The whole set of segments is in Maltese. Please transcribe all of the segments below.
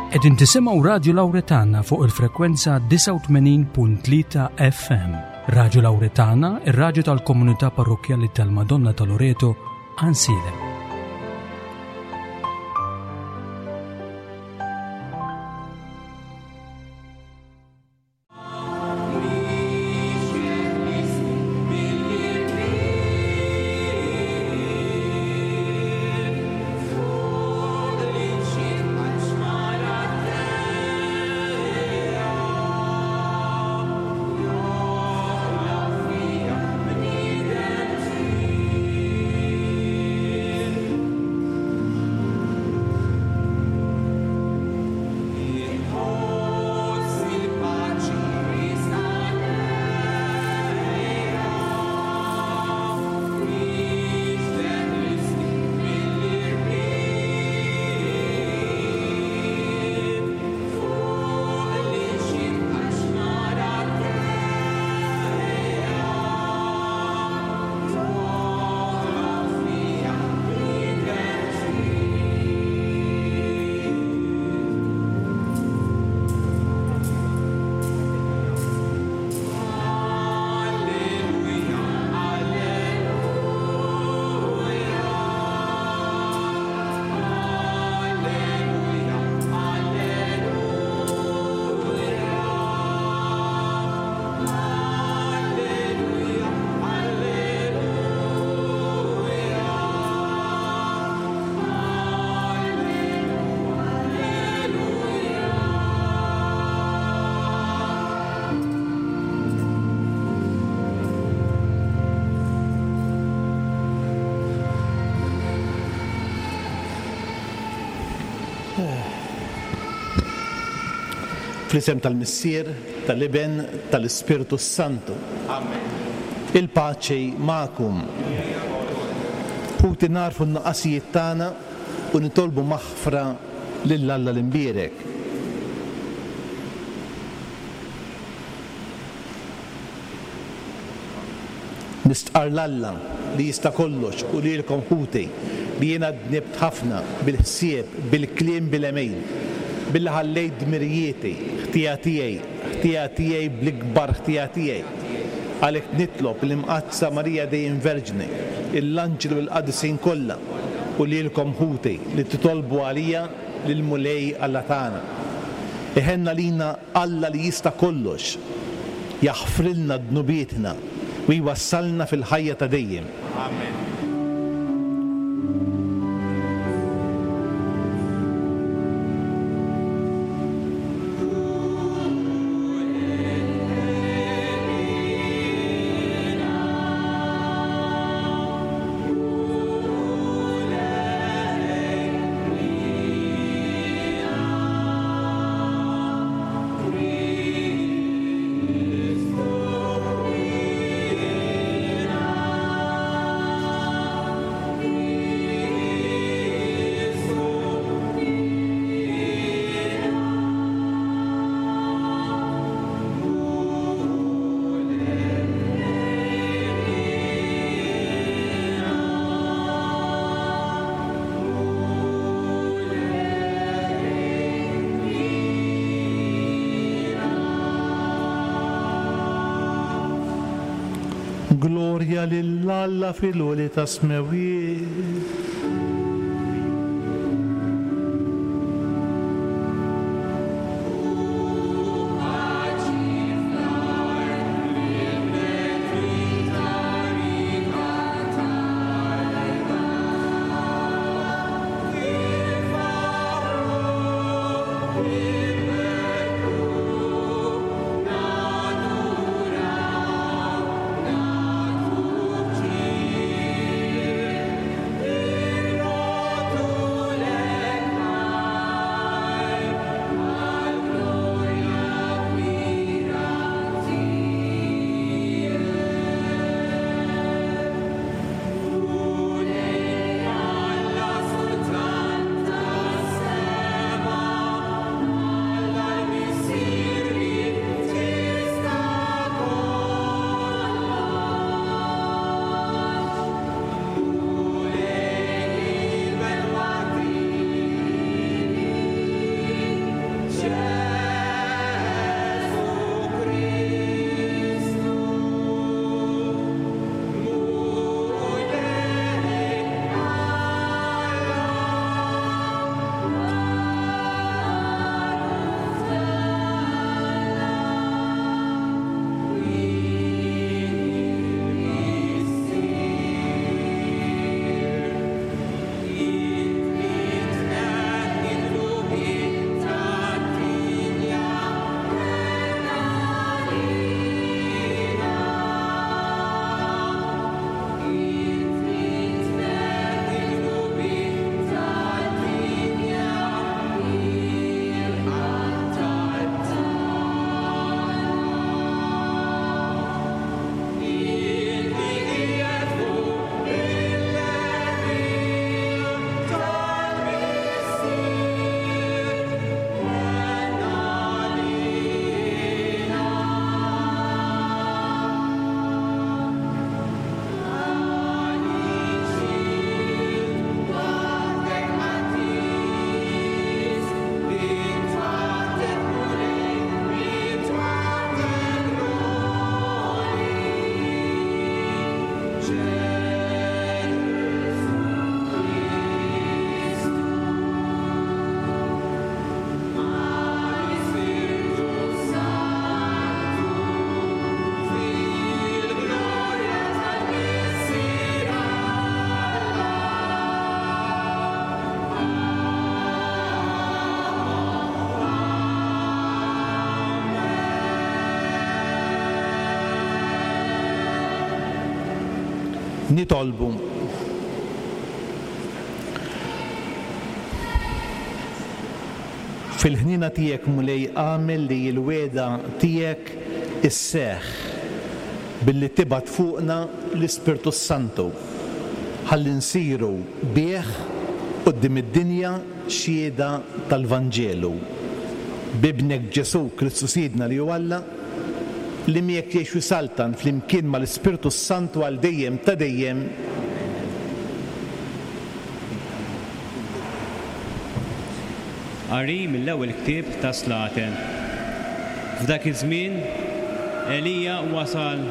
Qegħdin tisimgħu Radju Lawretana fuq il-frekwenza 89.3 FM. Radju Lawretana, ir-radju tal-komunità parrokkjali tal-Madonna ta' Loreto, Ansilem. Fl-isem tal-Missier, tal-Iben, tal-Ispirtu s-Santu. Amen. Il-paċi magħkom. Ħuti nagħrfu n-nuqqasijiet tagħna u nitolbu maħfra lil Alla l-Imbierek. Nistqarr 'l Alla li jista' kollox u lilkom ħuti li jiena dnibt ħafna bil-ħsieb, bil-kliem, bil-għemil, billi ħallejt dmirijieti, ħtija tiegħi, ħtija tiegħi bl-ikbar ħtija tiegħi. Għalhekk nitlob lill-Imqaddsa Marija dejjem Verġni, lill-anġli u lill-qaddisin kollha u lilkom ħuti li titolbu għalija lill-Mulej Alla tagħna. Iħenn għalina Alla li jista' kollox, jaħfrilna dnubietna u jwassalna fil-ħajja ta' dejjem. Amen. Glorja lil Alla fil-għoli tas-smewwiet. Nitolbu. Fil-ħniena tiegħek Mulej agħmel li l-wegħda tiegħek isseħħ billi tibgħat fuqna l-Ispirtu s-Santu ħalli nsiru bih quddiem id-dinja xhieda tal-Vanġelu. B'Ibnek Ġesù Kristu Sidna li hu Alla, li miegħek jgħix u jsaltan flimkien mal-Ispirtu s-Santu għal dejjem ta' dejjem. Qari mill-ewwel ktieb tas-Slaten. F'dak iż-żmien, Elija wasal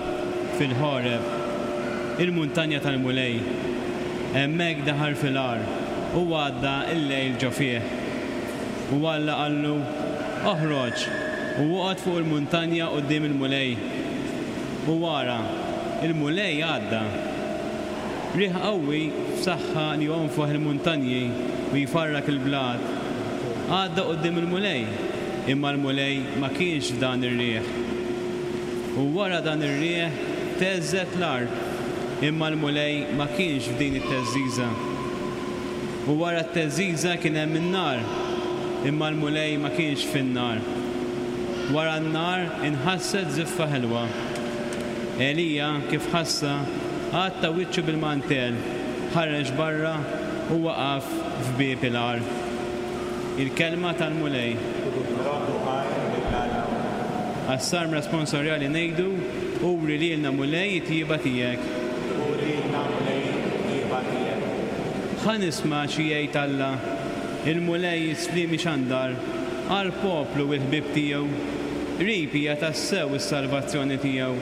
fil-Ħoreb, il-muntanja tal-Mulej. Hemmhekk daħal fil-għar u għadda l-lejl ġo fih. U Alla qallu, Oħroġ u oqgħod fuq il-muntanja quddiem il-Mulej. U ara, il-Mulej għadda. Riħ qawwi f'saħħa li jonfoħ il-muntanji u jfarrak il-blat, għadda quddiem il-Mulej, imma l-Mulej ma kienx f'dan ir-riħ. U wara dan ir-riħ theżżet l-art, imma l-Mulej ma kienx f'din it-theżżiża. U wara t-theżżiża kien hemm in-nar, imma l-Mulej ma kienx fin-nar. Wara n-nar inħasset żiffa ħelwa. Elija, kif ħassha, għatta wiċċu bil-mantell, ħareġ barra u waqaf f'bieb il-għar. Il-Kelma tal-Mulej. Għas-Salm Responsorjali ngħidu, Uri lilna Mulej it-tjieba tiegħek. Uri lilna Mulej it-tjieba tiegħek. Ħa nisma' xi jgħid Alla, il-Mulej is-sliem ixandar għall-poplu u l-ħbieb tiegħu. Qrib hija tassew is-salvazzjoni tiegħu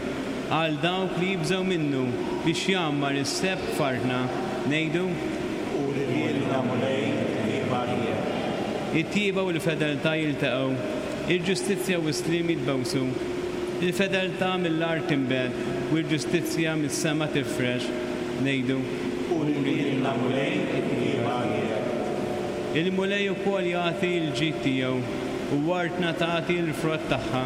għal dawk li jibżgħu minnu biex jgħammar is-sebħ f'artna. Ngħidu. Uri lilna Mulej it-tjieba tiegħek. It-tjieba u l-fedeltà jiltaqgħu, il-ġustizzja u s-sliem jitbewsu. Il-fedeltà mill-art tinbet u l-ġustizzja mis-sema tifrex. Ngħidu. Uri lilna Mulej it-tjieba tiegħek. Il-Mulej ukoll jagħti l-ġid tiegħu, u artna tagħti l-frott tagħha.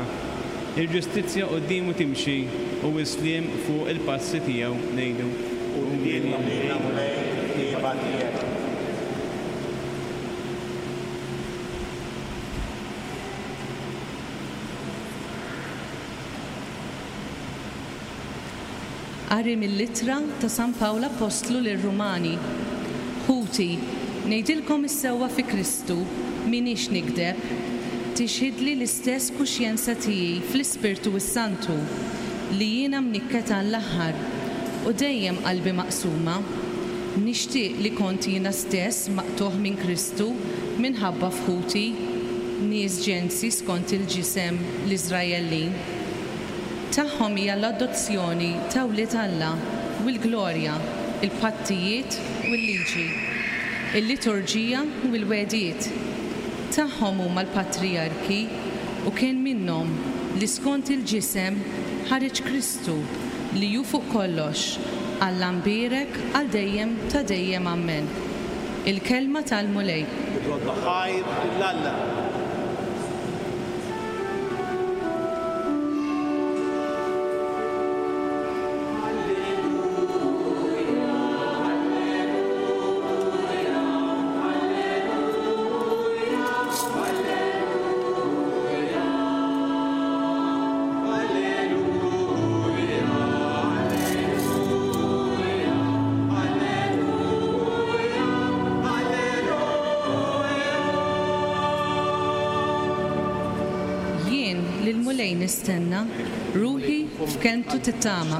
Il-ġustizzja quddiemu timxi, u s-sliem fuq il-passi tiegħu. Ngħidu. Uri lilna Mulej it-tjieba tiegħek. Qari mill-Ittra ta' San Pawl Appostlu lir-Rumani. Ħuti, ngħidilkom is-sewwa fi Kristu, m'iniex nigdeb. Tixhidli l-istess kuxjenza tiegħi fl-Ispirtu s-Santu, li jiena mnikket għall-aħħar, u dejjem qalbi maqsuma. Nixtieq li kont jiena stess maqtugħ minn Kristu minħabba f'ħuti, nies ġensi skont il-ġisem l-Iżraellin. Tagħhom hija l-adozzjoni ta' wlied Alla u l-glorja, il-pattijiet u l-liġi, il-liturġija u l-wegħdiet. Tagħhom huma l-patrijarki u kien minnhom li skont il-ġisem ħareġ Kristu li hu fuq kollox, Alla mbierek għal dejjem ta' dejjem Ammen. Il-Kelma tal-Mulej. Irroddu ħajr lil Alla. Jien lill-Mulej nistenna, ruħi f'kelmtu tittama.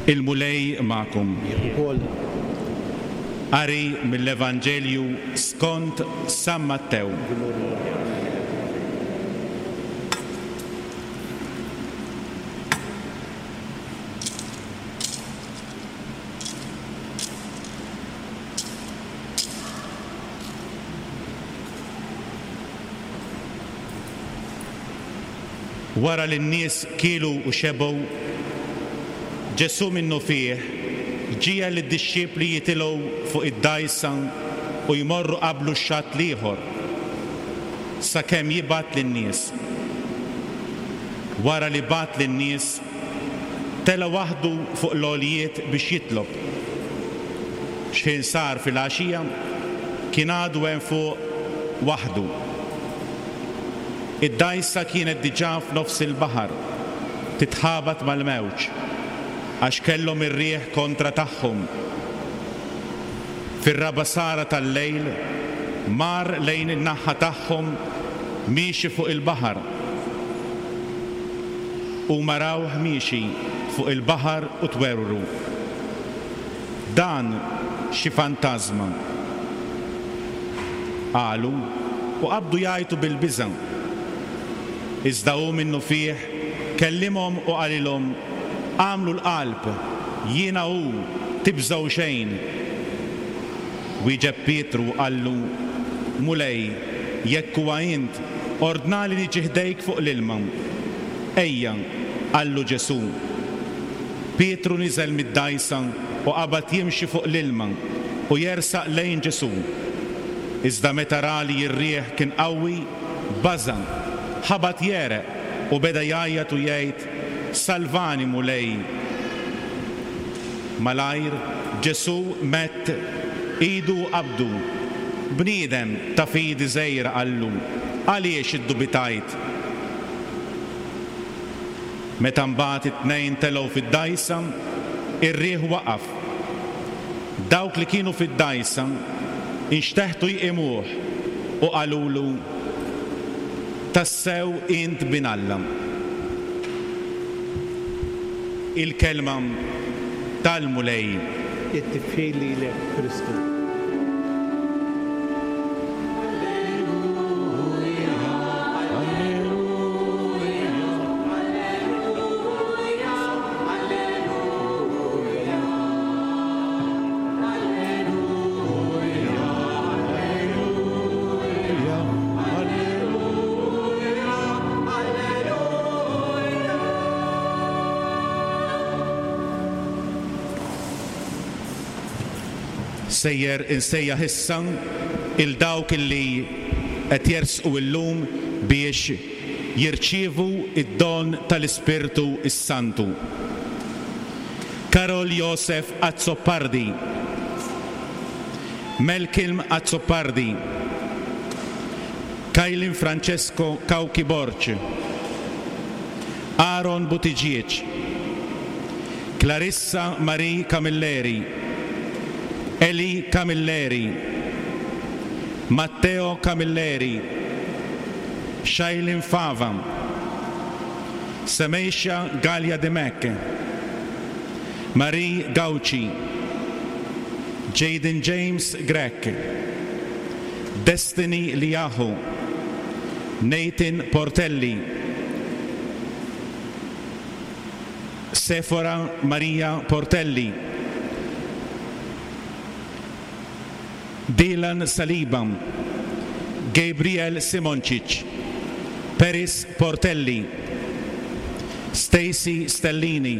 Il-Mulej magħkom. Ukoll. Qari mill-Evanġelju skont San Mattew. Wara li n-nies kielu u xebgħu, Ġesù minnufih ġiegħel lid-dixxipli jitilgħu fuq id-dgħajsa u jmorru qablu x-xatt l-ieħor, sakemm jibgħat lin-nies. Wara li bagħat lin-nies, tela' waħdu fuq l-għoljiet biex jitlob. X'ħin sar filgħaxija, kien għadu hemm fuq waħdu. Id-dgħajsa kienet diġà f'nofs il-baħar, titħabat mal-mewġ, għax kellhom ir-riħ kontra tagħhom. Fir-raba' sara tal-lejl, mar lejn in-naħa tagħhom miexi fuq il-baħar. Huma rawh miexi fuq il-baħar u twerwru. Dan xi fantażma! Qalu, u qabdu jgħajtu bil-biża'. Iżda hu minnufih kellimhom u qalilhom, Agħmlu l-qalb, jiena hu, tibżgħu xejn. Wieġeb Pietru u qallu, Mulej, jekk huwa int, ordnali niġi ħdejk fuq l-ilma. Ejja, qallu Ġesù. Pietru niżel mid-dgħajsa u qabad jimxi fuq l-ilma u jersaq lejn Ġesù. Iżda meta ra li r-riħ kien qawwi, baża', ħabat jegħreq u beda jgħajjat u jgħid, Salvani, Mulej! Malajr, Ġesù medd idu u qabdu. Bniedem ta' fidi żgħira, qallu, għaliex iddubitajt? Meta mbagħad it-tnejn telgħu fid-dgħajsa, ir-riħ waqaf. Dawk li kienu fid-dgħajsa nxteħtu jqimuh u qalulu, Tassew int Bin Alla. Il-Kelma tal-Mulej. It-tifħir lilek, Kristu. Sejjer insejjaħ issa 'il dawk li qed jersqu illum biex jirċievu d-don tal-Ispirtu s-Santu. Karol Josef Azzopardi, Melkilm Azzopardi, Kaylin Francesco Cauchi Borg, Aaron Buttigieg, Clarissa Marie Camilleri, Eli Camilleri, Matteo Camilleri, Shailin Fava, Semesha Gallia Dimech, Marie Gauci, Jaden James Grech, Destiny Liahu, Nathan Portelli, Sephora Maria Portelli, Dylan Saliba, Gabriel Simoncic, Peris Portelli, Stacey Stellini,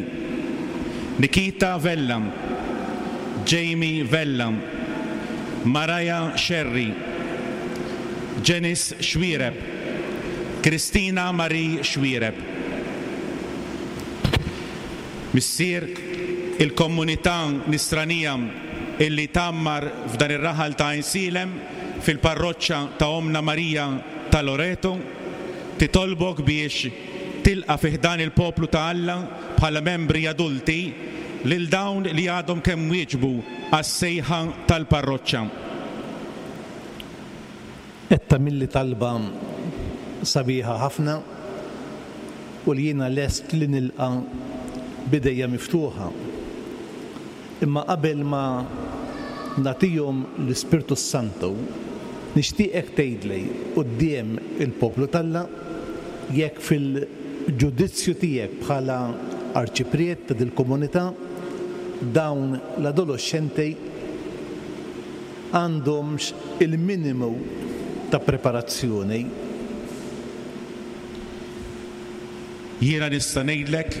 Nikita Vella, Jamie Vella, Mariah Scerri, Janice Xuereb, Christina Marie Xuereb. Missier, il-komunità Nisranija illi tgħammar f'dan ir-raħal ta' Għajnsielem fil-parroċċa ta' Ommna Marija ta' Loreto, titolbok biex tilqa' fi ħdan il-poplu ta' Alla bħala membri adulti lil dawn li għadhom kemm wieġbu għas-sejħa tal-parroċċa. Qed tagħmilli talba sabiħa ħafna u li jiena lest li nilqa' b'idejja miftuħa. Imma qabel ma nagħtihom l-Ispirtu s-Santu, nixtieqek tgħidli quddiem il-poplu t'Alla jekk fil-ġudizzju tiegħek bħala Arċipriet ta' dil-komunità dawn l-adoloxxenti għandhomx il-minimu ta' preparazzjoni. Jiena nista' ngħidlek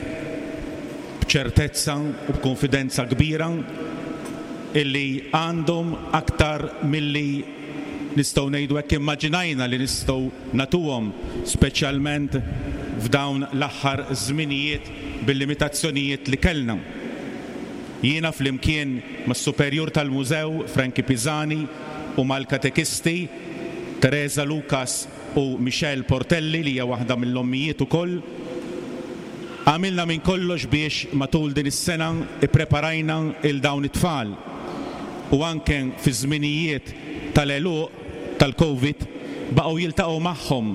b'ċertezza u b'kunfidenza kbira illi għandhom aktar milli nistgħu ngħidu hekk immaġinajna li nistgħu nagħtuhom speċjalment f'dawn l-aħħar żminijiet bil-limitazzjonijiet li kellna. Jiena flimkien mas-Superjur tal-Mużew Frankie Pisani u mal-katekisti Teresa Lucas u Michelle Portelli li hija waħda mill-ommijiet ukoll, għamilna minn kollox biex matul din is-sena ppreparajna 'l dawn it-tfal u anke fiż-żminijiet tal-għeluq tal-Covid baqgħu jiltaqgħu magħhom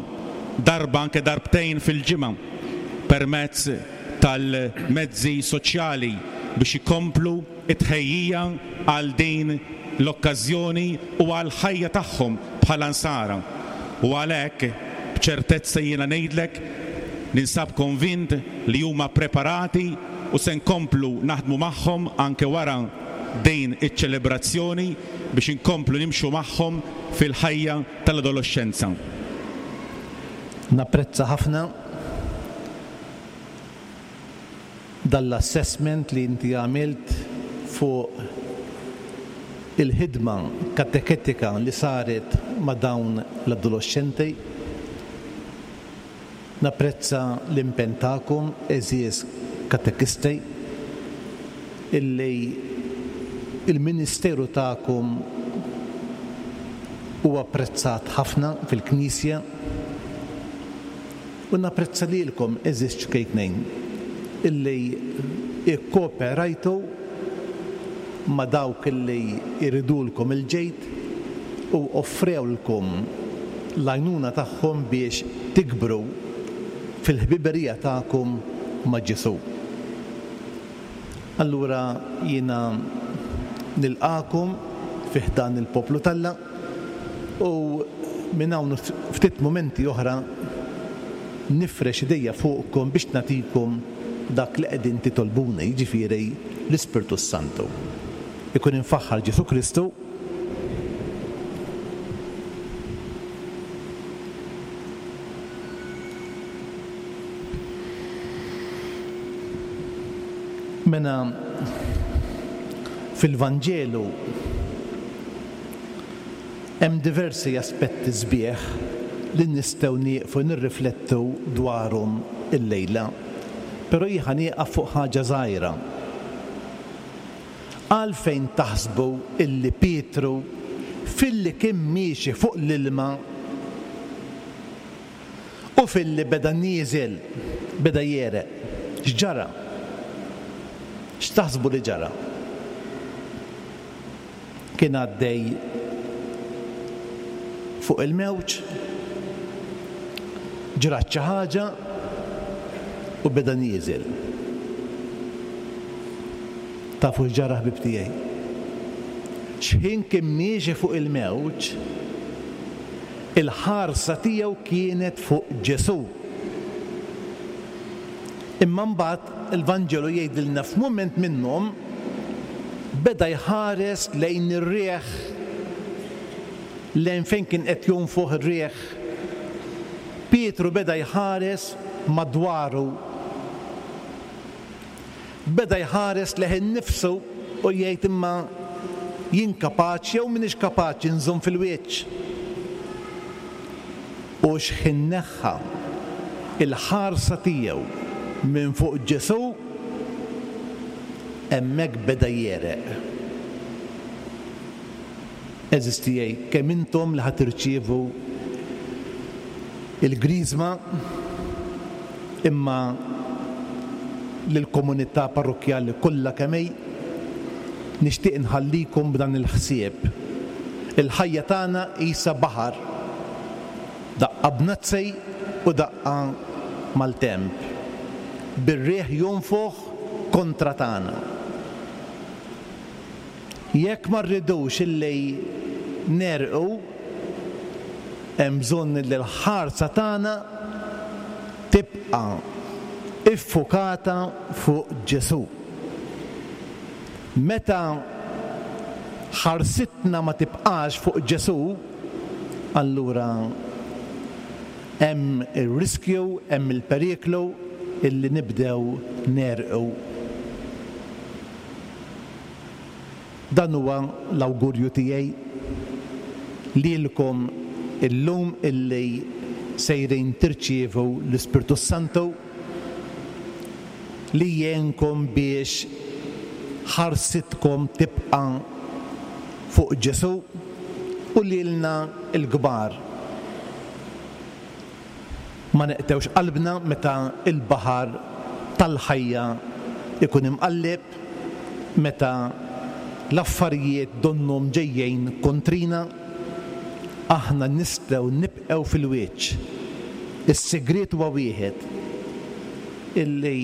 darba anke darbtejn fil-ġimgħa permezz tal-mezzi soċjali biex ikomplu t-tħejjija għal din l-okkażjoni u għall-ħajja tagħhom bħala Nsara. U għalhekk, b'ċertezza jiena ngħidlek, ninsab konvint li huma preparati u se nkomplu naħdmu magħhom anke wara din iċ-ċelebrazzjoni biex inkomplu nimxu magħhom fil-ħajja tal-adoloxxenza. Napprezza ħafna dan l-assessment li inti għamilt fuq il-ħidma kateketika li saret ma' dawn l-adoloxxenti. Napprezza l-impenn tagħkom, għeżież katekisti, illi l-ministeru tagħkom huwa apprezzat ħafna fil-Knisja. U napprezza lilkom, għeżież ċkejknejn, illi ikkooperajtu ma' dawk illi jridulkom il-ġid u offrewlkom l-għajnuna tagħhom biex tikbru fil-ħbiberija tagħkom ma' Ġesù. Allura jiena nilqagħkom fi ħdan il-poplu t'Alla. U minn hawn u ftit mumenti oħra nifrex idejja fuqkom biex nagħtikom dak li qegħdin titolbuni, jiġifieri l-Ispirtu s-Santu. Ikun imfaħħar Ġesù Kristu. Mela fil-Vanġelu Hemm diversi aspetti sbieħ li nistgħu nieqfu nirriflettu dwarhom illejla, però jien ħa nieqaf fuq ħaġa żgħira. Għalfejn taħsbu illi Pietru filli kien miexi fuq l-ilma u filli beda nieżel beda jegħreq? X'ġara? X'taħsbu li ġara? Kien għaddej fuq il-mewġ, ġrat xi ħaġa u beda nieżel. Tafu x'ġara ħbieb tiegħi? X'ħin kien miexi fuq il-mewġ, il-ħarsa tiegħu kienet fuq Ġesù. Imma mbagħad il-Vanġelu jgħidilna f'mument minnhom beda jħares lejn ir-riħ, lejn fejn kien qed jonfoħ ir-riħ. Pietru beda jħares madwaru. Beda jħares lejh innifsu u jgħid imma jien kapaċi jew m'iniex kapaċi nżomm fil-wiċċ. U x'ħin neħħa l-ħarsa tiegħu minn fuq Ġesù, hemmhekk beda jegħreq. Għeżież tiegħi, kemm intom li ħa tirċievu l-Griżma, imma lill-komunità parrokkjali kollha kemm hi, nixtieq inħallikom b'dan il-ħsieb. Il-ħajja tagħna qisha baħar, daqqa bnazzi u daqqa maltemp, bir-riħ jonfoħ kontra tagħna. Jekk ma rridux illi negħrqu, hemm bżonn illi l-ħarsa tagħna tibqa' iffukata fuq Ġesù. Meta ħarsitna ma tibqax fuq Ġesù, allura hemm ir-riskju, hemm il-periklu. illi nibdew negħrqu. Dan huwa l-awgurju tiegħi lilkom illum illi sejrin tirċievu l-Ispirtu s-Santu li jgħinkom biex ħarsitkom tibqa' fuq Ġesù u lilna l-kbar. Ma neqtgħux qalbna meta l-baħar tal-ħajja jkun imqalleb, meta l-affarijiet donnhom ġejjin kontrina, aħna nistgħu nibqgħu fil-wiċċ. Is-sigriet huwa wieħed, illi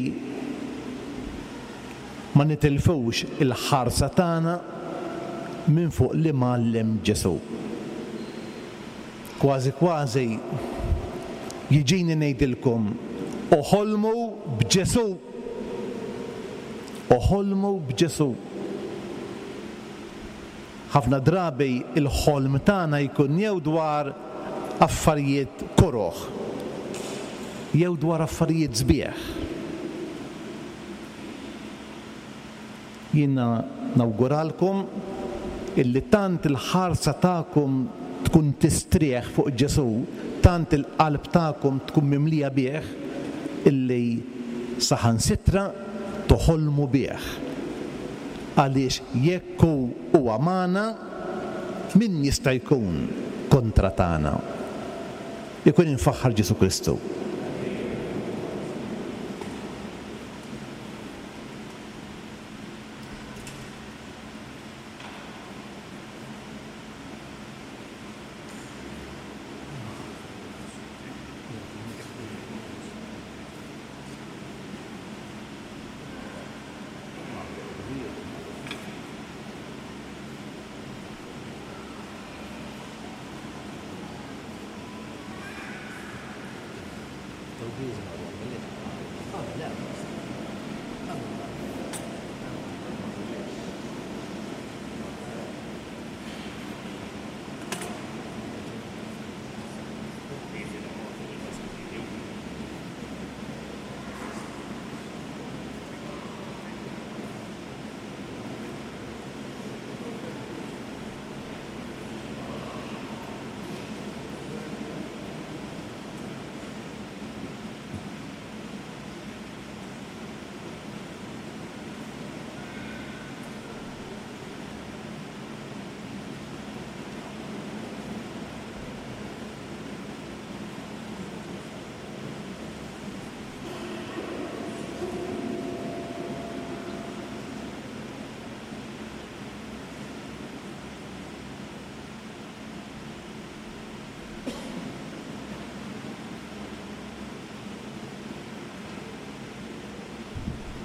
ma nitilfux il-ħarsa tagħna minn fuq l-Imgħallem Ġesù. Kważi kważi jiġini ngħidilkom, oħolmu b'Ġesù! Oħolmu b'Ġesù! Ħafna drabi l-ħolm tagħna jkun jew dwar affarijiet koroh jew dwar affarijiet sbieħ. Jiena nawguralkom illi tant il-ħarsa tagħkom tkun tistrieħ fuq Ġesù, tant il-qalb tagħkom tkun mimlija bih, illi saħansitra toħolmu bih. Għaliex jekk hu huwa magħna, min jista' jkun kontra tagħna? Ikun imfaħħar Ġesù Kristu.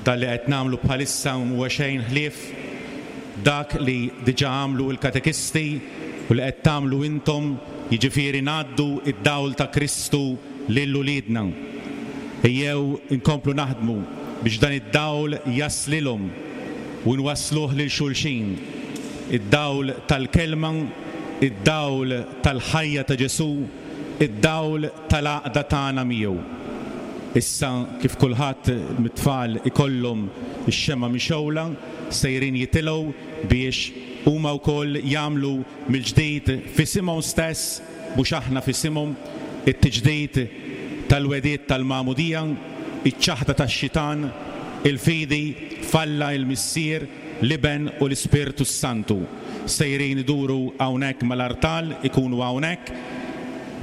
Dan li qed nagħmlu bħalissa mhuwa xejn ħlief dak li diġà għamlu l-katekisti u li qed tagħmlu intom, jiġifieri ngħaddu d-dawl ta' Kristu lil uliedna. Ejjew inkomplu naħdmu biex dan id-dawl jaslilhom u nwassluh lil xulxin, id-dawl tal-Kelma, id-dawl tal-ħajja ta' Ġesù, id-dawl tal-għaqda tagħna miegħu. Issa kif kulħadd mit-tfal ikollhom ix-xemgħa mixgħula, sejrin jitilgħu biex huma wkoll jagħmlu mill-ġdid f'isimhom stess, mhux aħna f'isimhom, it-tiġdid tal-wegħdiet tal-magħmudija, iċ-ċaħda tax-xitan, il-fidi f'Alla il-Missier, l-Iben u l-Ispirtu s-Santu. Sejrin iduru hawnhekk mal-artal, ikunu hawnhekk,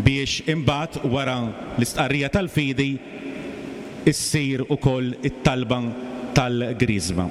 biex imbagħad wara l-istqarrija tal-fidi issir ukoll it-talba tal-Griżma.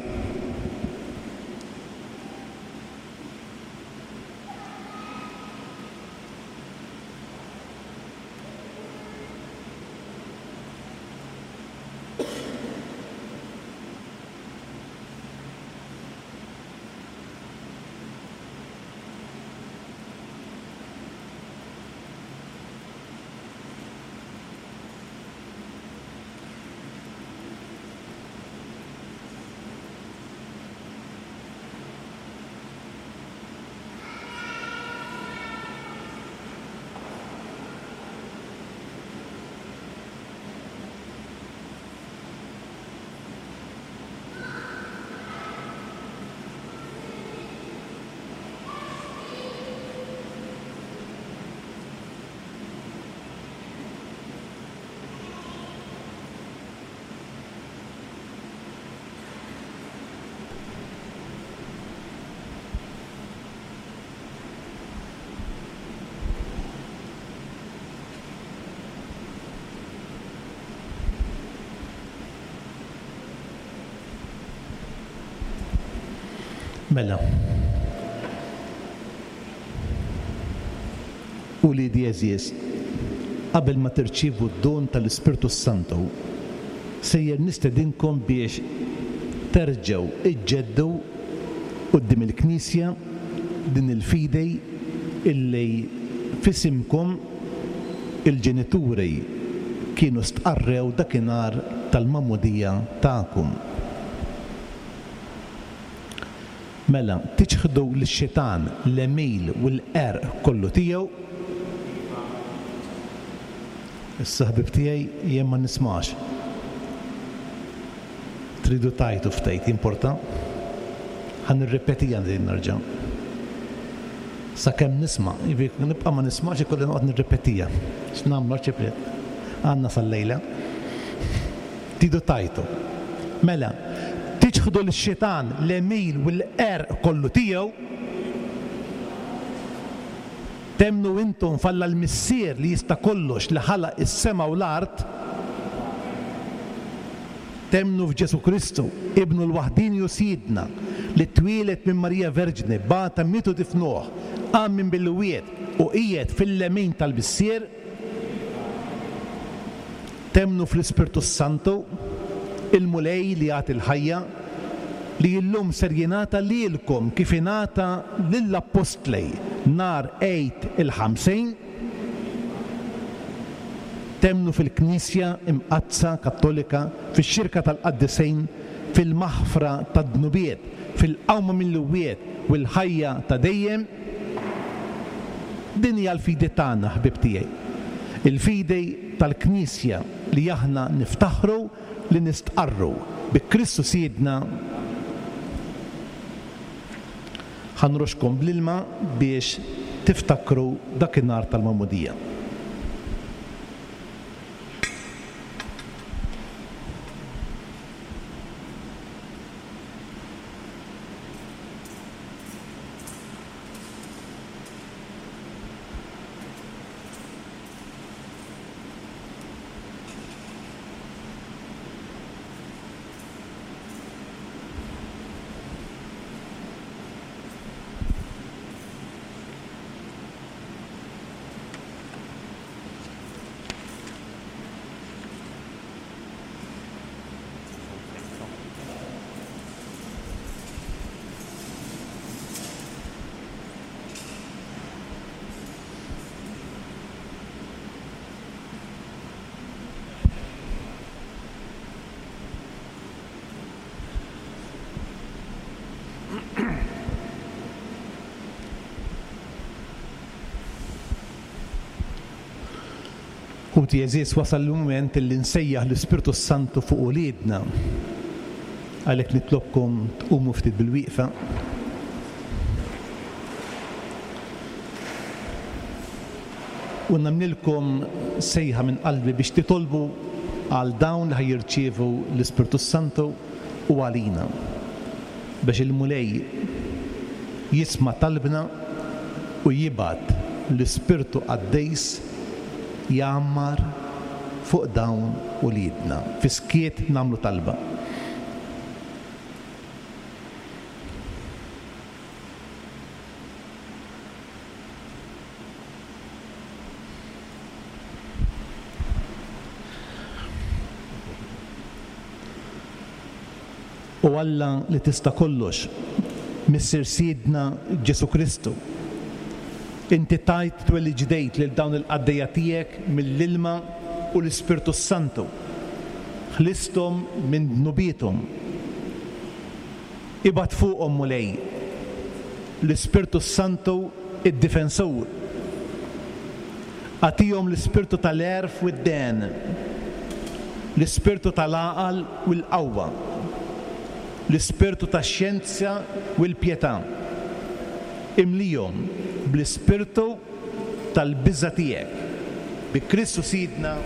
Mela. Uliedi għeżież, qabel ma tirċievu d-don tal-Ispirtu s-Santu, sejjer nistedinkom biex terġgħu iġġeddu quddiem il-Knisja din il-fidi illi f'isimkom il-ġenituri kienu stqarrew dakinhar tal-magħmudija tagħkom. Mela, tiċħdu lix-xitan, l-għemil u l-qerq kollu tiegħu? Issa ħbieb tiegħi, jien ma nismax. Tridu tgħajtu ftit, jimporta? Ħa nirrepetiha din nerġa'. Sakemm nisma', jiġifieri nibqa' ma nismax ikolli noqgħod nirrepetiha. X'nagħmlu arċipriet? Għandna sal-lejla. Tridu tgħajtu. Mela, tiċħdu lix-xitan, l-għemil u l-qerq kollu tiegħu? Temmnu intom f'Alla l-Missier li jista' kollox li ħalaq is-sema u l-art? Temmnu f'Ġesù Kristu, Ibnu l-waħdieni u Sidna, li twieled minn Marija Verġni, bata, miet u difnuh, qam minn bil-wied u qiegħed fil-lemin tal-Missier? Temmnu fl-Ispirtu s-Santu, il-Mulej li jagħti l-ħajja, li illum ser jingħata lilkom kif ingħata lill-Appostli nhar Għid il-Ħamsin? Temmnu fil-Knisja Imqaddsa Kattolika, fix-xirka tal-qaddisin, fil-maħfra tad-dnubiet, fil-qawma mill-imwiet u l-ħajja ta' dejjem? Din hija l-fidi tagħna, ħbieb tiegħi. Il-fidi tal-Knisja li aħna niftaħru li nistqarru bi Kristu Sidna. Ħa nroxxkom bl-ilma biex tiftakru dakinhar tal-Magħmudija. Ħuti għeżież wasal il-mument illi nsejjaħ l-Ispirtu s-Santu fuq uliedna. Għalhekk nitlobkom tqumu ftit bilwieqfa. U nagħmlilkom sejħa minn qalbi biex titolbu għal dawn li ħa jirċievu l-Ispirtu s-Santu u għalina, biex il-Mulej jisma' talbna u jibgħat l-Ispirtu Qaddis jgħammar fuq dawn uliedna. Fis-skiet nagħmlu talba. O Alla li tista' kollox, Missier Sidna Ġesù Kristu, inti tajt twelid ġdid lil dawn il-qaddejja tiegħek mill-ilma u l-Ispirtu s-Santu, ħlisthom minn dnubiethom. Ibgħat fuqhom, Mulej, l-Ispirtu s-Santu id-Difensur. Agħtihom l-ispirtu tal-għerf u d-dehen, l-ispirtu tal-għaqal u l-qawwa, l-ispirtu tax-xjenza u l-pjetà. Imlihom bl-ispirtu tal-biża' tiegħek. Bi Kristu Sidna.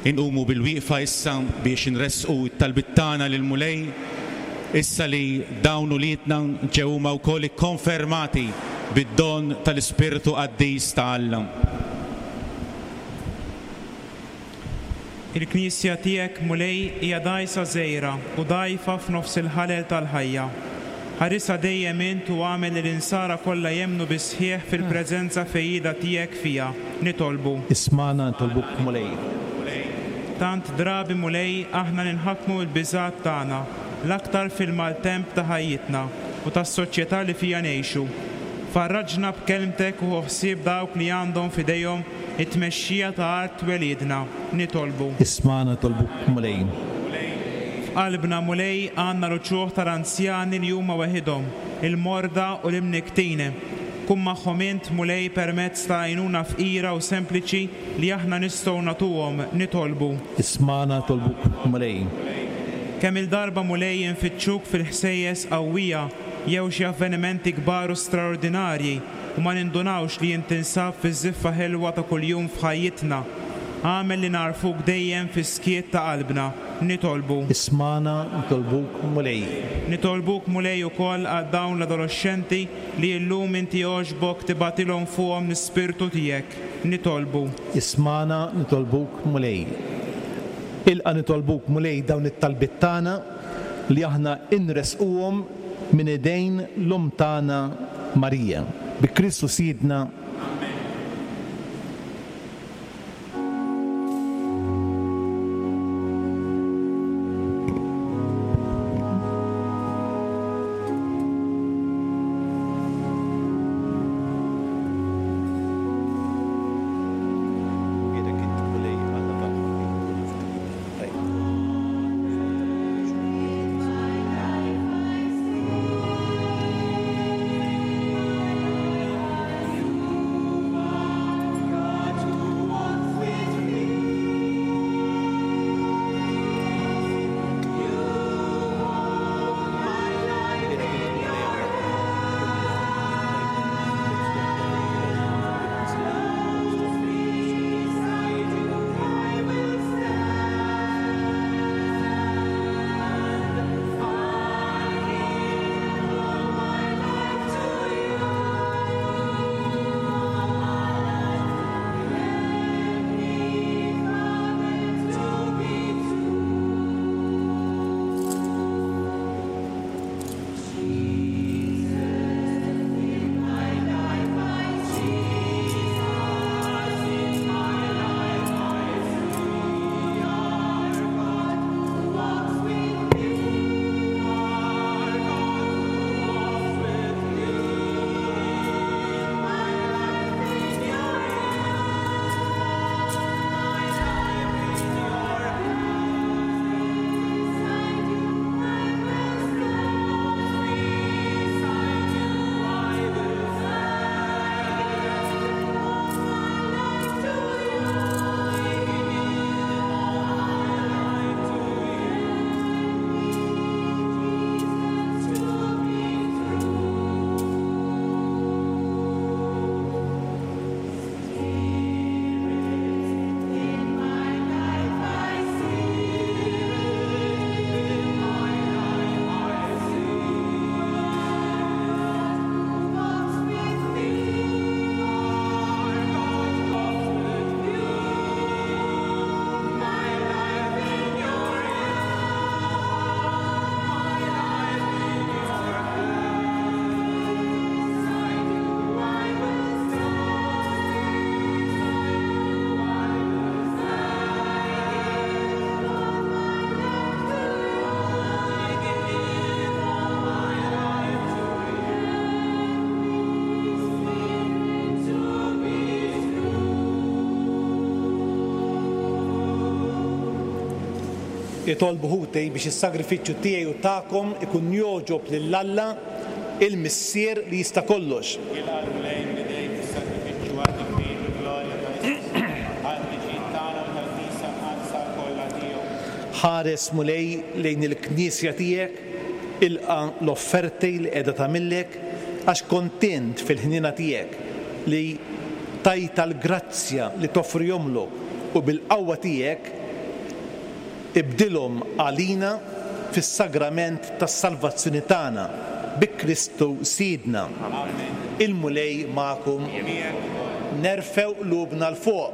Inqumu bilwieqfa issa biex inressqu t-talbiet tagħna lill-Mulej, issa li dawn uliedna ġew huma wkoll ikkonfermati bid-don tal-Ispirtu Qaddis ta' Alla. Il-Knisja tiegħek, Mulej, hija dgħajsa żgħira u dgħajfa f'nofs il-ħalel tal-ħajja. Ħarisha dejjem int u agħmel li l-insara kollha jemmnu bis-sħiħ fil-preżenza fejjieda tiegħek fiha. Nitolbu. Ismagħna nitolbuk, Mulej. Tant drabi, Mulej, aħna ninħakmu mill-biżgħat tagħna, l-aktar fil-maltemp ta' ħajjitna u tas-soċjetà li fiha ngħixu. Farraġna b'kelmtek u ħu ħsieb dawk li għandhom f'idejhom it-tmexxija ta' art twelidna. Nitolbu. Ismagħna nitolbuk, Mulej. F'qalbna, Mulej, għandna l-uċuħ tal-anzjani li huma weħidhom, il-morda u l-imnikktin. Kun magħhom int, Mulej, permezz ta' għajnuna fqira u sempliċi li aħna nistgħu nagħtuhom. Nitolbu. Ismagħna nitolbuk, Mulej. Kemm-il darba, Mulej, infittxuk fil-ħsejjes qawwija jew xi avvenimenti kbar u straordinarji u ma nindunawx li int tinsab fiż-żiffa ħelwa ta' kuljum f'ħajjitna. Agħmel li nagħrfuk dejjem fis-skiet ta' qalbna. Nitolbu. Ismagħna nitolbuk, Mulej. Nitolbuk, Mulej, ukoll għal dawn l-adoloxxenti li illum inti għoġbok tibgħatilhom fuqhom l-Ispirtu tiegħek. Nitolbu. Ismagħna nitolbuk, Mulej. Ilqa' nitolbuk, Mulej, dawn it-talbiet tagħna li aħna inressquhom minn idejn l-Omm tagħna Marija. Bi Kristu Sidna. Amen. Nbierek int, Mulej, Alla tal-ħolqien kollu fid-dinja. Itolbu ħuti biex is-sagrifiċċju tiegħi u tagħkom ikun jogħġob lil Alla, il-Missier li jista' kollox. Jilqa' l-Mulej minn idejk is-sagrifiċċju għat-tifħir u l-glorja ta' ismu, għall-ġid tagħna u tal-Knisja Mqaddsa kollha tiegħu. Ħares, Mulej, lejn il-Knisja tiegħek, ilqa' l-offerti li qiegħda tagħmillek, għax kont int fil-ħniena tiegħek li tajtha l-grazzja li toffrihomlok u bil-qawwa tiegħek. Ibdilhom għalina fis-sagrament tas-salvazzjoni tagħna bi Kristu Sidna. Il-Mulej magħkom. Nerfgħu qlubna 'l fuq.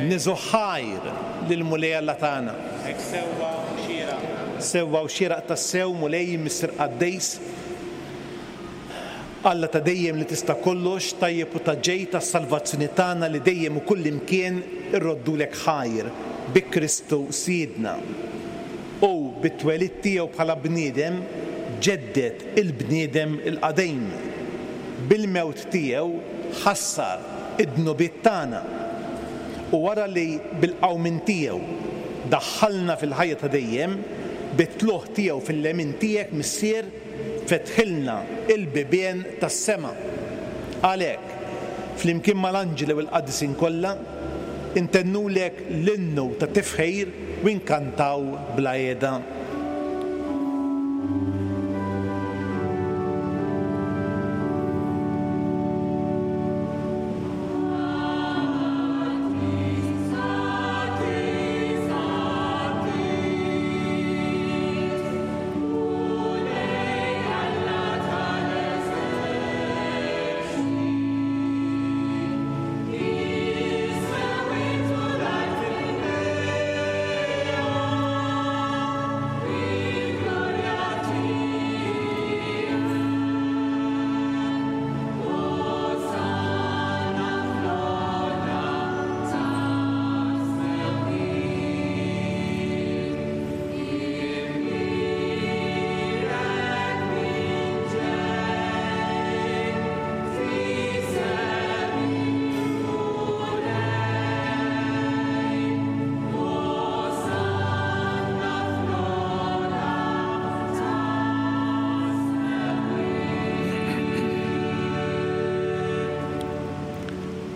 Niżgħu ħajr lill-Mulej Alla tagħna. Hekk sewwa u xieraq. Sewwa u xieraq tassew, Mulej, Missier Qaddis. Alla ta' dejjem li tista' kollox, tajjeb u ta' ġid għas-salvazzjoni tagħna li dejjem u kullimkien irroddulek ħajr bi Kristu Sidna. Hu bit-twelid tiegħu bħala bniedem ġedded il-bniedem il-qadim. Bil-mewt tiegħu ħassar id-dnubiet tagħna. U wara li bil-qawmien tiegħu daħħalna fil-ħajja ta' dejjem, bit-tlugħ tiegħu fil-lemin tiegħek, Missier, Fetħilna l-bibien tas-sema. Għalhekk, flimkien mal-anġli u l-qaddisin kollha, intennulek l-innu ta' tifħir u nkantaw bla qiegħda.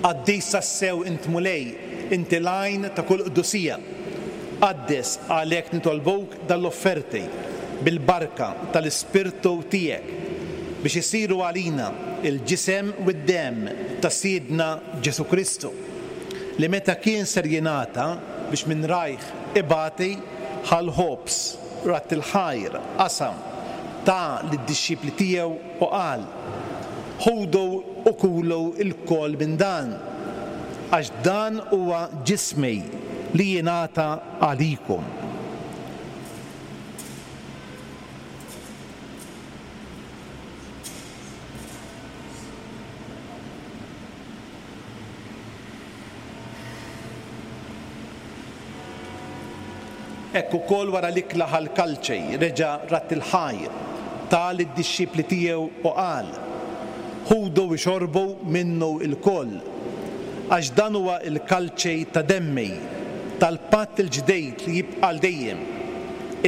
Qaddis tassew int Mulej, inti l-għajn ta' kull qdusija. Qaddes għalhekk nitolbuk dan l-offerti bil-barka tal-Ispirtu tiegħek biex isiru għalina l-ġisem u d-demm ta' Sidna Ġesù Kristu, li meta kien ser jingħata biex minn rajh ibati, ħa l-ħobż, radd il-ħajr, qasam, ta lid-dixxipli tiegħu u qal, Ħudu u kulu lkoll minn dan, għax dan huwa ġismi li jingħata għalikom. Hekk ukoll wara l-ikla ħa l-kalċi, reġa' radd il-ħajr, ta lid-dixxipli tiegħu u qal, Ħudu u xorbu minnu lkoll, għax dan huwa l-kalċi ta' demmi, tal-patt il-ġdid li jibqa' għal dejjem,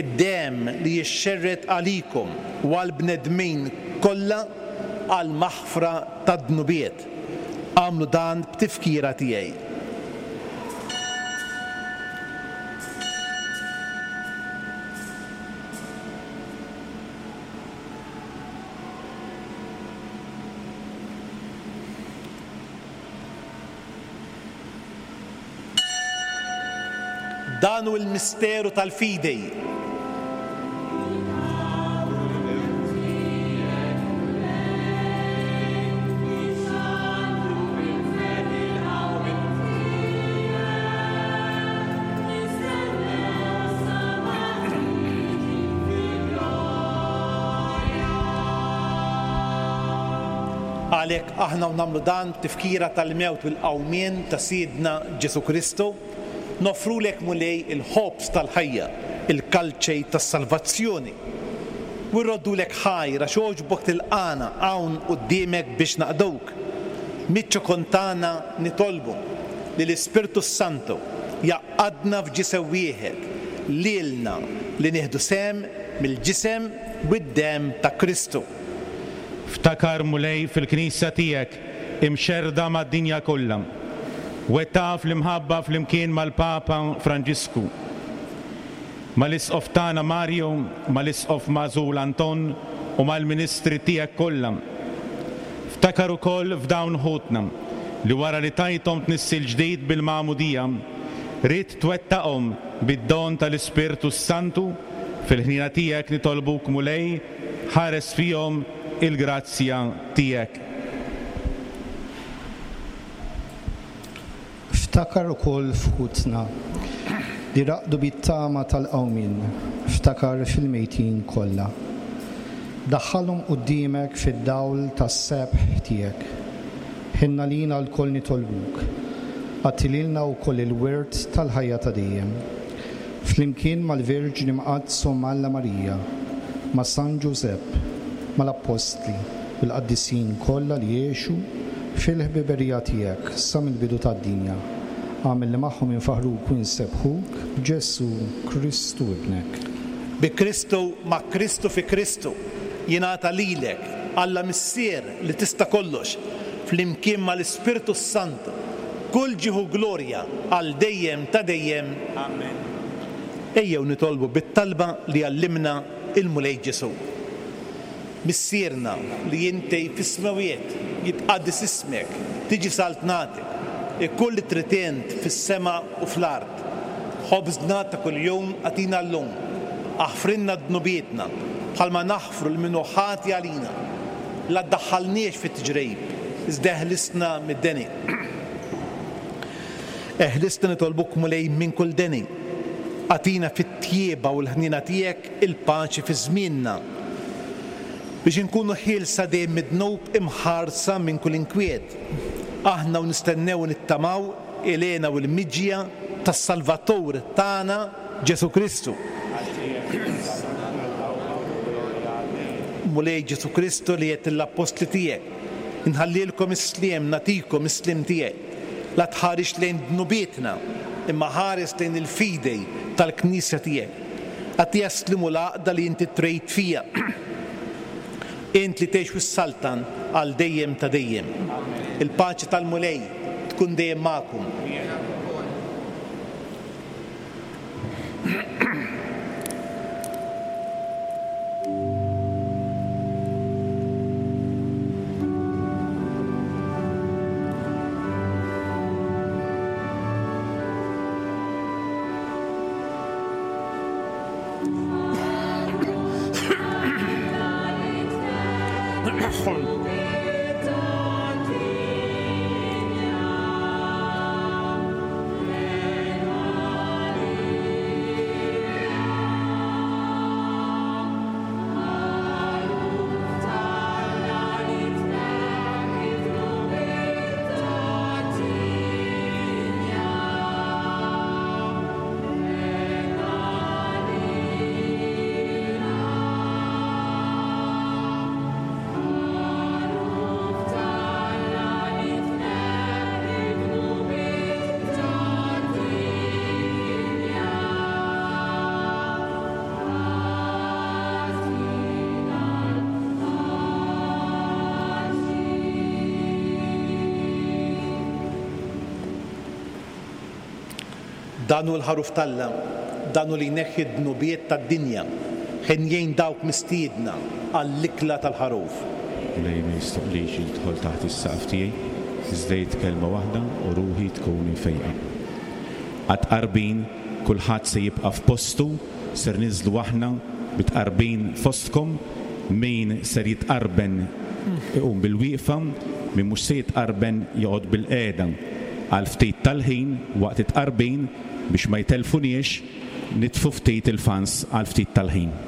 id-demm li jixxerred għalikom u għall-bnedmin kollha għall-maħfra tad-dnubiet. Agħmlu dan b'tifkira tiegħi. Dan hu l-misteru tal-fidi. Għalhekk aħna u nagħmlu dan b'tifkira tal-mewt u l-qawmien ta' Sidna Ġesù Kristu, Noffrulek, Mulej, il-ħobż tal-ħajja, il-kalċej tas-salvazzjoni. U rroddulek ħajr għax għoġbok tilqagħna hawn quddiemek biex naqduk. Miċ-ċokon tagħna nitolbu li l-Ispirtu s-Santu jgħaqqadna f'ġisem wieħed, lilna li nieħdu sehem mill-ġisem u d-demm ta' Kristu. Ftakar, Mulej, fil-Knisja tiegħek imxerrda mad-dinja kollha. Wettaqha fl-imħabba flimkien mal-Papa Franġisku, mal-Isqof tagħna Mario, mal-Isqof magħżul Anton u mal-ministri tiegħek kollha. Ftakar ukoll f'dawn ħutna li wara li tajthom tnissil ġdid bil-Magħmudija, ridt twettaqhom bid-don tal-Ispirtu s-Santu, fil-ħniena tiegħek nitolbuk Mulej, ħares fihom il-grazzja tiegħek. Ftakar ukoll f'ħutna li raqdu bit-tama tal-qawmien, ftakar fil-mejtin kollha. Daħħalhom quddiemek fid-dawl tas-sebħ tiegħek. Ħenn għalina lkoll nitolbuk, agħti lilna wkoll il-wirt tal-ħajja ta' dejjem. Flimkien mal-Verġni Mqaddsa Omm Alla Marija, ma' San Ġużepp, mal-Appostli u l-qaddisin kollha li għexu fil-ħbiberija tiegħek sa mill-bidu tad-dinja, agħmel li magħhom infaħħruk u nsebbħuk b'Ġesù Kristu Ibnek. Bi Kristu, ma' Kristu, fi Kristu, jingħata lilek, Alla Missier li tista' kollox, flimkien mal-Ispirtu s-Santu, kull ġieħ u glorja għal dejjem ta' dejjem. Amen. Ejjew nitolbu bit-talba li għallimna l-Mulej Ġesù. Missierna li inti fis-smewwiet, jitqaddes ismek, tiġi saltnatek, ikun li trid int fis-sema u fl-art. Ħobżna ta' kuljum agħtina llum. Aħfrilna dnubietna, bħalma naħfru lil min hu ħati għalina. La ddaħħalniex fi tiġrib, iżda eħlisna mid-deni. Eħlisna nitolbuk Mulej minn kull deni. Agħtina fit-tjieba u l-ħniena tiegħek il-paċi fi żmienna, biex inkunu ħielsa dejjem mid-dnub imħarsa minn kull inkwiet, aħna u nistennew u nittamaw il-hena u l-miġja tas-Salvatur tagħna Ġesù Kristu. Mulej Ġesù Kristu li għedt lill-appostli tiegħek, Inħallilkom is-sliem, nagħtikom is-sliem tiegħi. La tħarisx lejn dnubietna, imma ħares lejn il-fidi tal-Knisja tiegħek. Agħtiha s-sliem u l-għaqda li inti trid fiha. Int li tgħix u ssaltan għal dejjem ta' dejjem. Il-paċi tal-Mulej tkun dejjem magħkom. Dan hu l-Ħaruf t'Alla, dan hu li jneħħi d-dnubiet tad-dinja. Henjin dawk mistiedna għall-ikla tal-Ħaruf. Mulej ma jistoqlix jidħol taħt is-saqaf tiegħi, iżda għid kelma waħda u ruħi tkun imfejqa. Għat-tqarbin kulħadd se jibqa' f'postu, ser ninżlu aħna bit-tqarbin fostkom, min ser jitqarben iqum bil-wieqfa, min mhux se jitqarben joqgħod bil-qiegħda. Għal ftit tal-ħin waqt it-tqarbin biex ma jtellfuniex, nitfu ftit il-fans għal ftit tal-ħin.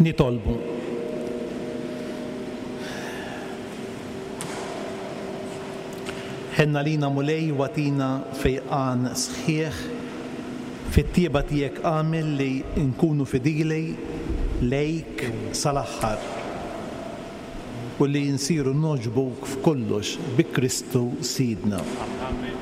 Nitolbu. Ħenn għalina Mulej u agħtina fejqan sħiħ. Fit-tjieba tiegħek agħmel li nkunu fidili lejk sal-aħħar u li nsiru nogħġbuk f'kollox bi Kristu Sidna. Amen.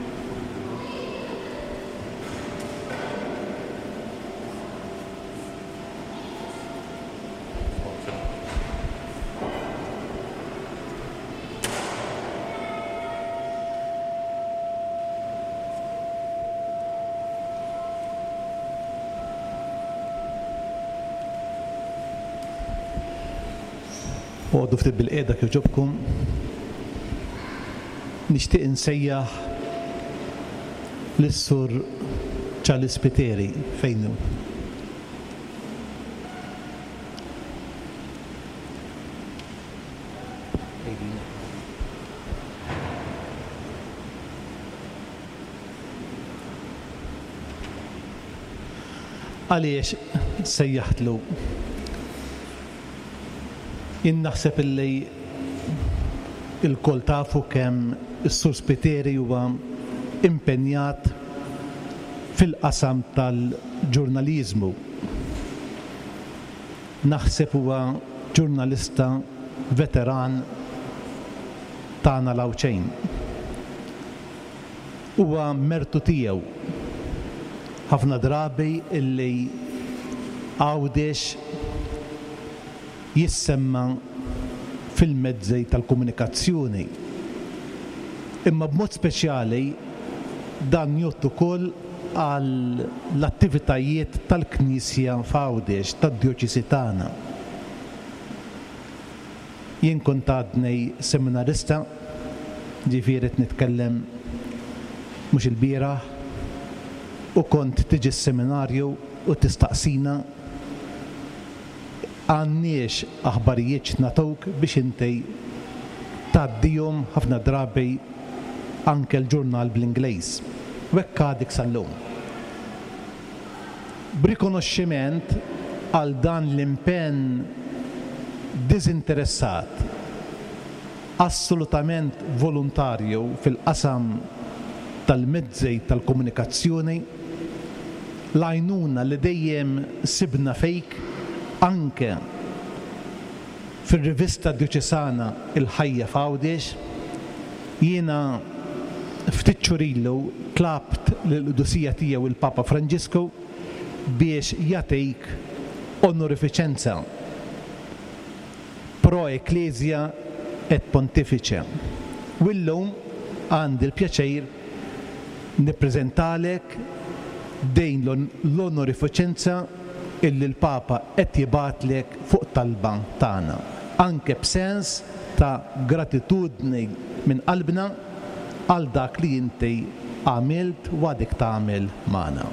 Oqogħdu ftit bilqiegħda kif ġobkom. Nixtieq insejjaħ lis-Sur Charles Spiteri fejn hu? Għaliex sejjaħtlu? Jien naħseb illi ilkoll tafu kemm is-Sur Spiteri huwa impenjat fil-qasam tal-ġurnaliżmu. Naħseb huwa ġurnalista veteran tagħna l-Għawdxejn. Huwa mertu tiegħu ħafna drabi illi Għawdex jissemma fil-mezzi tal-komunikazzjoni. Imma b'mod speċjali dan jgħodd ukoll għall-attivitajiet tal-Knisja f'Għawdex, tad-djoċesi tagħna. Jien kont għadni seminarista, ġifieri qed nitkellem mhux ilbieraħ, u kont tiġi s-seminarju u tistaqsina għandniex aħbarijiet x'nagħtuk biex inti tgħaddihom ħafna drabi anke l-ġurnal bl-Ingliż. U hekk għadek sal-lum. B'rikonoxximent għal dan l-impenn diżinteressat, assolutament volontarju fil-qasam tal-mezzi tal-komunikazzjoni, l-għajnuna li dejjem sibna fik anke fir-rivista djoċesana Il-Ħajja f'Għawdex, jiena ftit xhur ilu tlabt lill-Qdusija Tiegħu il-Papa Franġisku biex jagħtik onorifiċenza pro Ecclesia et Pontifice u llum għandi l-pjaċir nippreżentalek din l-onorifiċenza illi l-Papa qed jibgħatlek fuq talba tagħna, anke b'sens ta' gratitudni minn qalbna għal dak li inti għamilt u għadek tagħmel magħna.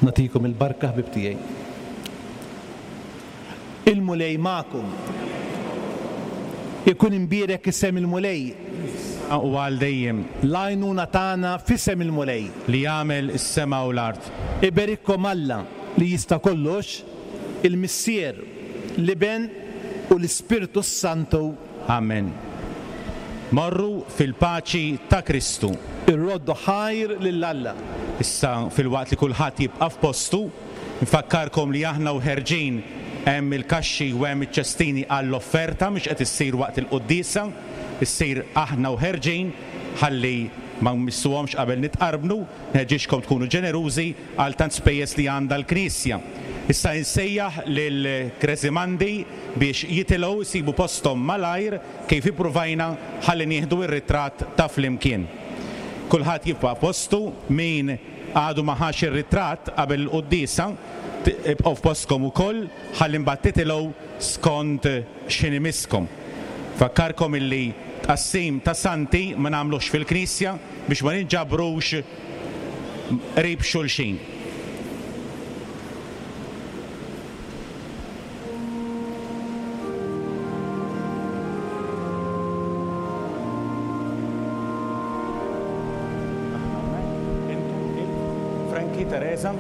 Nagħtikom il-barka ħbieb tiegħi. Il-Mulej magħkom. Ikun imbierek isem il-Mulej. Issa u għal dejjem. L-għajnuna tagħna f'isem il-Mulej. Li għamel is-sema u l-art. Iberikkom Alla li jista' kollox, il-Missier, l-Iben u l-Ispirtu s-Santu. Amen. Morru fil-paċi ta' Kristu. Irroddu ħajr lil Alla. Issa, filwaqt li kulħadd jibqa' f'postu, nfakkarkom li aħna u ħerġin hemm il-kaxxi u hemm iċ-ċestini għall-offerta, mhix qed issir waqt il-quddiesa, issir aħna u ħerġin ħalli ma nmissuhomx qabel nitqarbnu, nħeġġiġkom tkunu ġenerużi għal tant spejjeż li għandha l-Knisja. Issa insejjaħ lill-Kresimandi biex jitilgħu jsibu posthom malajr kif ippruvajna ħalli nieħdu r-ritratt ta' flimkien. Kulħadd jibqa' postu, min għadu ma ħax ir-ritratt qabel il-quddiesa, ibqgħu f'postkom ukoll ħalli mbagħad titilgħu skont x'ħin imisskom. Nfakkarkom illi tqassim ta' santi ma nagħmluhx fil-knisja biex ma ninġabrux qrib xulxin. Frankie, Teresa.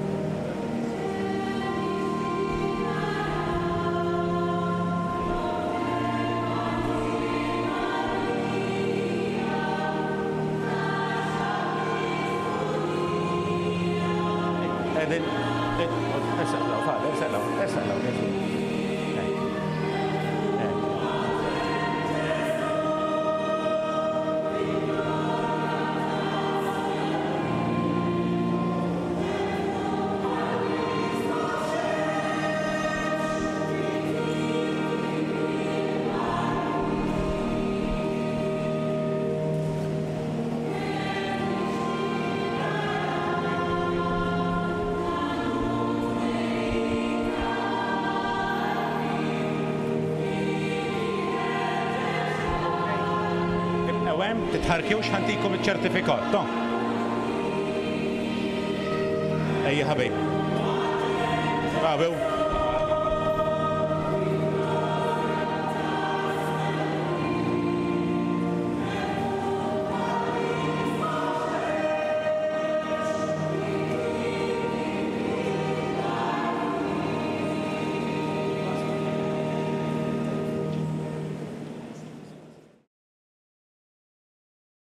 Ibqgħu hemm, titħarrkux ħa ntikom iċ-ċertifikat, to. Ejja ħabib. Bravu.